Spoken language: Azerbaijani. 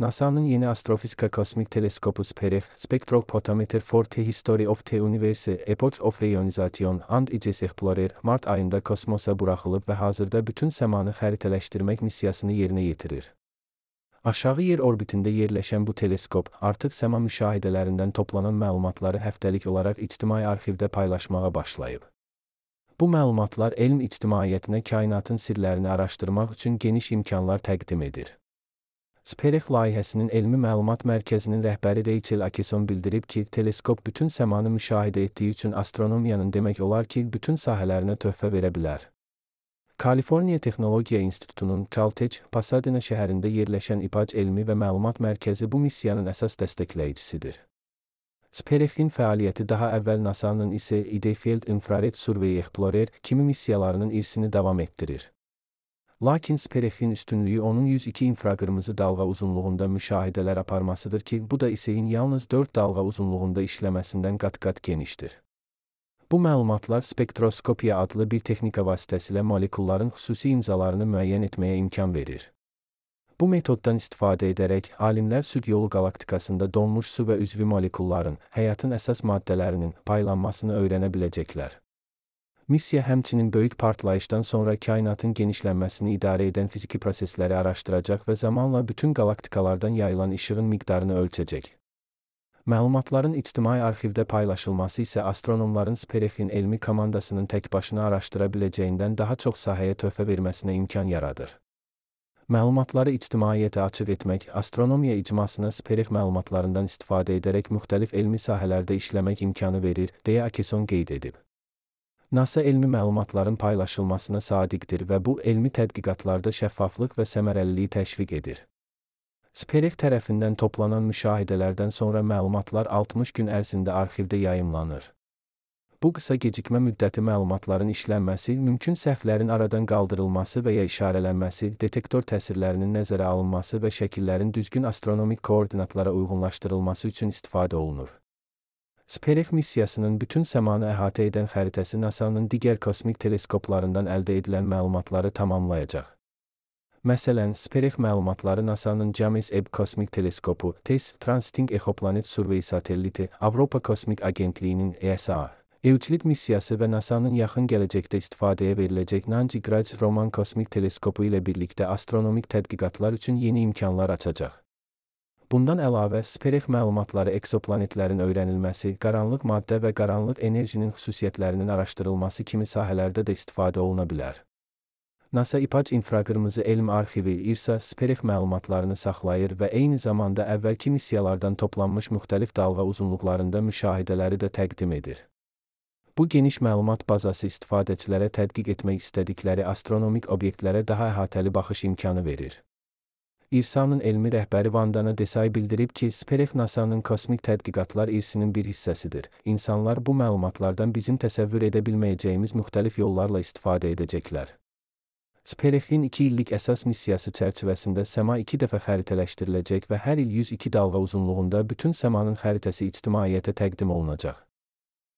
NASA'nın yeni astrofizika kosmik teleskopu Spectrophotometer for the History of the Universe Epoch of Reionization and its Explorer Mart ayında kosmosa buraxılıb və hazırda bütün səmanı xəritələşdirmək missiyasını yerinə yetirir. Aşağı yer orbitində yerləşən bu teleskop artıq səma müşahidələrindən toplanan məlumatları həftəlik olaraq ictimai arxivdə paylaşmağa başlayıb. Bu məlumatlar elm ictimaiyyətinə kainatın sirlərini araşdırmaq üçün geniş imkanlar təqdim edir. SPEREX layihəsinin elmi məlumat mərkəzinin rəhbəri Rachel Atkinson bildirib ki, teleskop bütün səmanı müşahidə etdiyi üçün astronomiyanın demək olar ki, bütün sahələrinə töhfə verə bilər. Kaliforniya Texnologiya İnstitutunun Caltech, Pasadena şəhərində yerləşən İPAC Elmi və Məlumat Mərkəzi bu missiyanın əsas dəstəkləyicisidir. SPEREX-in fəaliyyəti daha əvvəl NASA'nın isə Field Infrared Survey Explorer kimi missiyalarının irsini davam etdirir. Lakin SPEREX-in üstünlüyü onun 102 infraqırmızı dalğa uzunluğunda müşahidələr aparmasıdır ki, bu da ISE'in yalnız 4 dalğa uzunluğunda işləməsindən qat-qat genişdir. Bu məlumatlar spektroskopiya adlı bir texnika vasitəsilə molekulların xüsusi imzalarını müəyyən etməyə imkan verir. Bu metoddan istifadə edərək, alimlər süd yolu qalaktikasında donmuş su və üzvi molekulların, həyatın əsas maddələrinin paylanmasını öyrənə biləcəklər. Missiya həmçinin böyük partlayışdan sonra kainatın genişlənməsini idarə edən fiziki prosesləri araşdıracaq və zamanla bütün qalaktikalardan yayılan işığın miqdarını ölçəcək. Məlumatların ictimai arxivdə paylaşılması isə astronomların SPEREX-in elmi komandasının tək başına araşdıra biləcəyindən daha çox sahəyə töhfə verməsinə imkan yaradır. Məlumatları ictimaiyyətə açıq etmək, astronomiya icmasına SPEREX məlumatlarından istifadə edərək müxtəlif elmi sahələrdə işləmək imkanı verir, deyə Atkinson qeyd edib. NASA elmi məlumatların paylaşılmasına sadiqdir və bu, elmi tədqiqatlarda şəffaflıq və səmərəliliyi təşviq edir. SPEREX tərəfindən toplanan müşahidələrdən sonra məlumatlar 60 gün ərzində arxivdə yayımlanır. Bu qısa gecikmə müddəti məlumatların işlənməsi, mümkün səhvlərin aradan qaldırılması və ya işarələnməsi, detektor təsirlərinin nəzərə alınması və şəkillərin düzgün astronomik koordinatlara uyğunlaşdırılması üçün istifadə olunur. SPEREX missiyasının bütün səmanı əhatə edən xəritəsi NASA'nın digər kosmik teleskoplarından əldə edilən məlumatları tamamlayacaq. Məsələn, SPEREX məlumatları NASA'nın James Webb Kosmik Teleskopu, TESS, Transiting Exoplanet Survey Satelliti, Avropa Kosmik Agentliyinin ESA, Euclid missiyası və NASA'nın yaxın gələcəkdə istifadəyə veriləcək Nancy-Grace Roman Kosmik Teleskopu ilə birlikdə astronomik tədqiqatlar üçün yeni imkanlar açacaq. Bundan əlavə, SPEREX məlumatları eksoplanetlərin öyrənilməsi, qaranlıq maddə və qaranlıq enerjinin xüsusiyyətlərinin araşdırılması kimi sahələrdə də istifadə oluna bilər. NASA İPAC İnfraqırmızı Elm Arxivi (IRSA) SPEREX məlumatlarını saxlayır və eyni zamanda əvvəlki missiyalardan toplanmış müxtəlif dalğa uzunluqlarında müşahidələri də təqdim edir. Bu geniş məlumat bazası istifadəçilərə tədqiq etmək istədikləri astronomik obyektlərə daha əhatəli baxış imkanı verir. IRSA-nın elmi rəhbəri Vandana Desai bildirib ki, SPEREX NASA'nın kosmik tədqiqatlar irsinin bir hissəsidir. İnsanlar bu məlumatlardan bizim təsəvvür edə bilməyəcəyimiz müxtəlif yollarla istifadə edəcəklər. SPEREX-in 2 illik əsas missiyası çərçivəsində səma 2 dəfə xəritələşdiriləcək və hər il 102 dalğa uzunluğunda bütün səmanın xəritəsi ictimaiyyətə təqdim olunacaq.